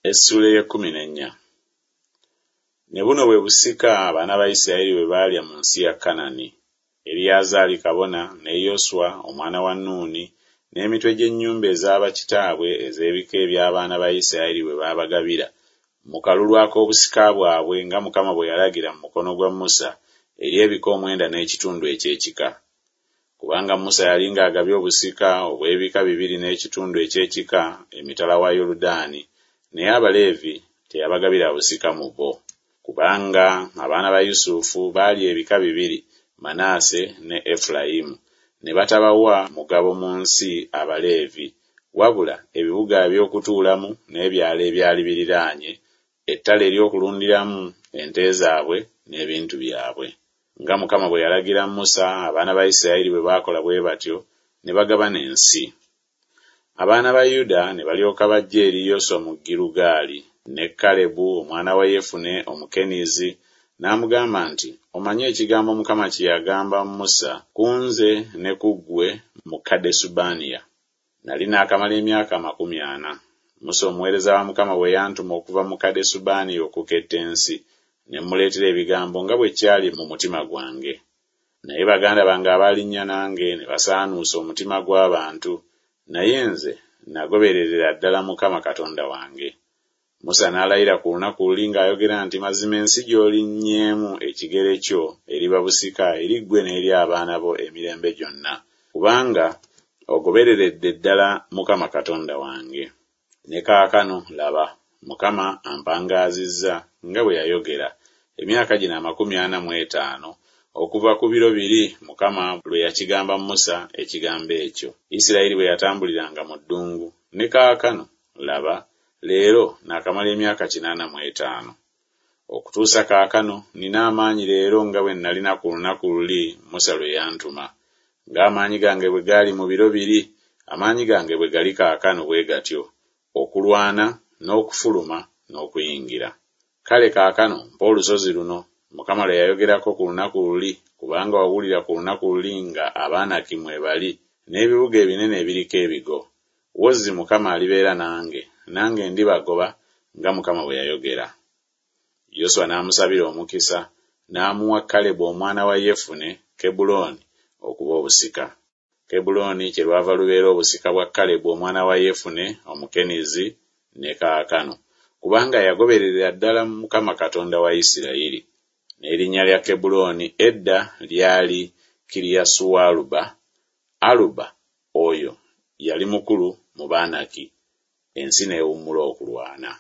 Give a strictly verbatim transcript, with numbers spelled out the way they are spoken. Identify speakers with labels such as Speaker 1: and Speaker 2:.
Speaker 1: Essuula ey'ekkumi n'ennya. Ne buno bwe busika abaana ba Isirayiri bwe baalya mu nsi ya Kanani. Eriyazaali kabona ne Yoswa omwana wa Nuuni n'emitwe gy'ennyumba ez'abakitaabwe ez'ebika eby'abaana ba Isirayiri bwe baabagabira mu kalulu ak'obusika bwabwe nga Mukama bwe yalagira mu mukono gwa Musa eri ebika omwenda n'ekitundu eky'ekika. Kubanga Musa yali ng'agabye obusika obw'ebika bibiri n'ekitundu eky'ekika emitala wa Yoludaani, naye Abaleevi teyabagabira busika mu bo. Kubanga abaana ba Yusufu baali ebika bibiri, Manaase ne Efulayimu, ne batabawa mugabo mu nsi Abaleevi, wabula ebibuga eby'okutuulamu n'ebyalo ebyali biriraanye, ettale ery'okulundiramu ente zaabwe n'ebintu byabwe. Nga Mukama bwe yalagira Musa, abaana ba Isirayiri bwe baakola bwe batyo, ne bagabana ensi. Abaana ba Yuda ne balyoka bajja eri Yoswa mu Girugaali, ne Kalebu omwana wa Yefune Omukenizi n'amugamba nti, Omanyi ekigambo Mukama kye yagamba Musa ku nze ne ku ggwe mu Kadesubanea. Nali naakamala emyaka amakumi ana. Musa omuweereza wa Mukama bwe yantuma okuva mu Kadesubanea okuketta ensi, ne mmuleetera ebigambo nga bwe kyali mu mutima gwange. Naye baganda bange abaalinnya nange ne basaanuusa omutima gw'abantu, naye nze nagobererera ddala Mukama Katonda wange. Musa n'alayira ku lunaku luli ng'ayogera nti, Mazima ensi gy'olinnyeemu ekigere kyo eriba busika eri ggwe n'eri abaana bo emirembe gyonna, kubanga ogobereredde ddala Mukama Katonda wange. Ne kaakano, laba, Mukama ampangaazizza nga bwe yayogera, emyaka gino amakumi ana mu etaano, okuva ku biro biri Mukama lwe yakigamba Musa ekigambo ekyo, Isirayiri bwe yatambuliranga mu ddungu. Ne kaakano, laba, leero naakamala emyaka kinaana mu etaano. Okutuusa kaakano nnina amaanyi leero nga bwe nalina ku lunaku luli Musa lwe yantuma. Ng'amaanyi gange bwe gaali mu biro biri, amaanyi gange bwe gali kaakano bwe gatyo, okulwana n'okufuluma n'okuyingira. Kale kaakano mpa olusozi luno, Mukama lwe yayogerako ku lunaku luli, kubanga wawulira ku lunaku luli nga Abanaki mwe bali, n'ebibuga ebinene ebiriko ebigo. Wozzi Mukama alibeera nange, nange ndibagoba nga Mukama bwe yayogera. Yoswa n'amusabira omukisa, n'amuwa Kalebu omwana wa Yefune Kebbulooni okuba obusika. Kebbulooni kyerwava lubeera obusika bwa Kalebu omwana wa Yefune Omukenizi ne kaakano, kubanga yagobererera ddala Mukama Katonda wa Isirayiri. N'erinnya lya Kebbulooni edda lyali Kiriyasualuba, Aluba oyo yali mukulu mu Banaki. Ensi n'ewummula okulwana.